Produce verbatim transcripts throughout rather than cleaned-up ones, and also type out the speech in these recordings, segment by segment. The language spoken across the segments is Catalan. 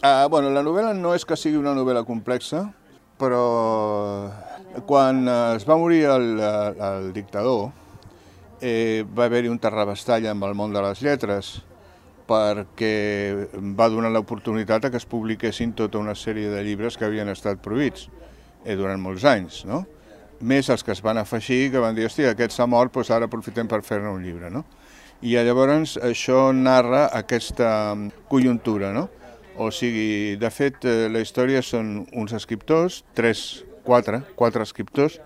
Uh, bueno, la novel·la no és que sigui una novel·la complexa, però quan es va morir el, el dictador eh, va haver-hi un terrabastall amb el món de les lletres perquè va donar l'oportunitat a que es publiquessin tota una sèrie de llibres que havien estat prohibits eh, durant molts anys, no? Més els que es van afegir, que van dir, hòstia, aquest s'ha mort, doncs ara aprofitem per fer-ne un llibre, no? I llavors això narra aquesta conjuntura, no? O sigui, de fet, la història són uns escriptors, tres, quatre, quatre escriptors,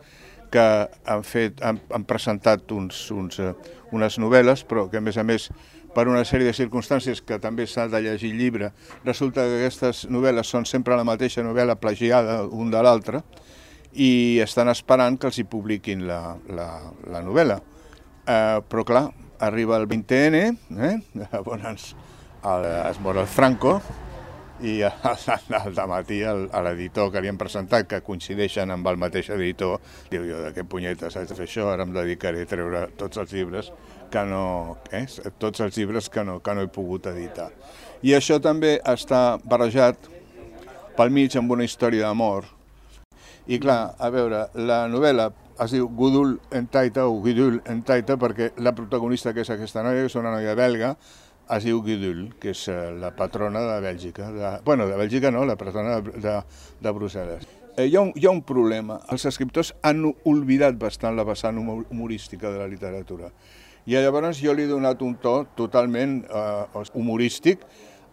que han, fet, han, han presentat uns, uns, unes novel·les, però que a més a més, per una sèrie de circumstàncies que també s'ha de llegir el llibre, resulta que aquestes novel·les són sempre la mateixa novel·la plagiada un de l'altre, i estan esperant que els hi publiquin la, la, la novel·la. Eh, però clar, arriba el vint ene, eh? Llavors el, es mor el Franco, i al dematí l'editor que li han presentat, que coincideixen amb el mateix editor, diu, jo de què punyetes haig de fer això, ara em dedicaré a treure tots els llibres que no, eh? tots els llibres que no, que no he pogut editar. I això també està barrejat pel mig amb una història d'amor. I clar, a veure, la novel·la es diu Gudul en Taita o Gudul en Taita perquè la protagonista, que és aquesta noia, que és una noia belga, es diu Gudul, que és la patrona de Bèlgica. De, bueno, de Bèlgica no, la patrona de, de, de Brussel·les. Eh, hi, ha un, hi ha un problema. Els escriptors han oblidat bastant la vessant humorística de la literatura. I llavors jo li he donat un to totalment eh, humorístic,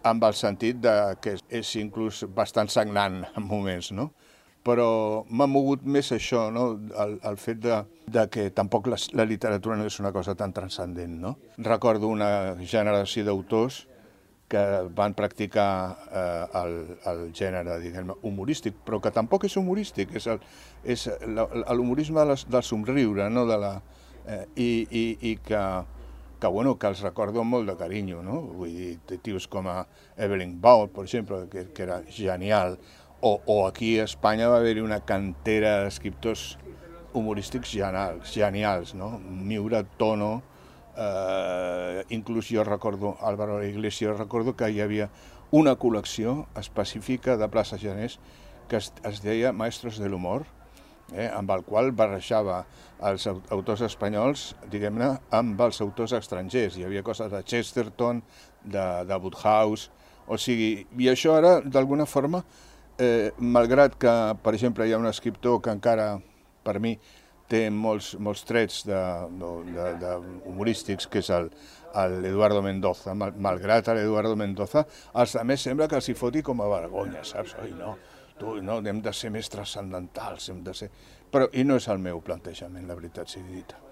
amb el sentit de que és inclús bastant sagnant en moments, no? Però m'ha mogut més això, no? el, el fet de, de que tampoc la, la literatura no és una cosa tan transcendent, no? Recordo una generació d'autors que van practicar eh, el, el gènere, diguem, humorístic, però que tampoc és humorístic, és l'humorisme del somriure, no? De la, eh, i, i, i que, que, bueno, que els recordo amb molt de carinyo, no? Vull dir, tios com a Evelyn Waugh, per exemple, que, que era genial. O, o aquí a Espanya va haver-hi una cantera d'escriptors humorístics genials, genials, no? Miura, Tono, eh, inclús jo recordo, Álvaro Iglesias, recordo que hi havia una col·lecció específica de Plaça Genés que es, es deia Maestros de l'Humor, eh, amb el qual barrejava els autors espanyols, diguem-ne, amb els autors estrangers. Hi havia coses de Chesterton, de, de Wodehouse, o sigui, i això ara, d'alguna forma, Eh, malgrat que, per exemple, hi ha un escriptor que encara, per mi, té molts, molts trets de, de, de humorístics, que és l'Eduardo Mendoza. Mal, malgrat l'Eduardo Mendoza, als altres sembla que els hi foti com a vergonya, saps? Oi, no, tu, no, hem de ser més transcendentals, hem de ser... Però, i no és el meu plantejament, la veritat sigui dita.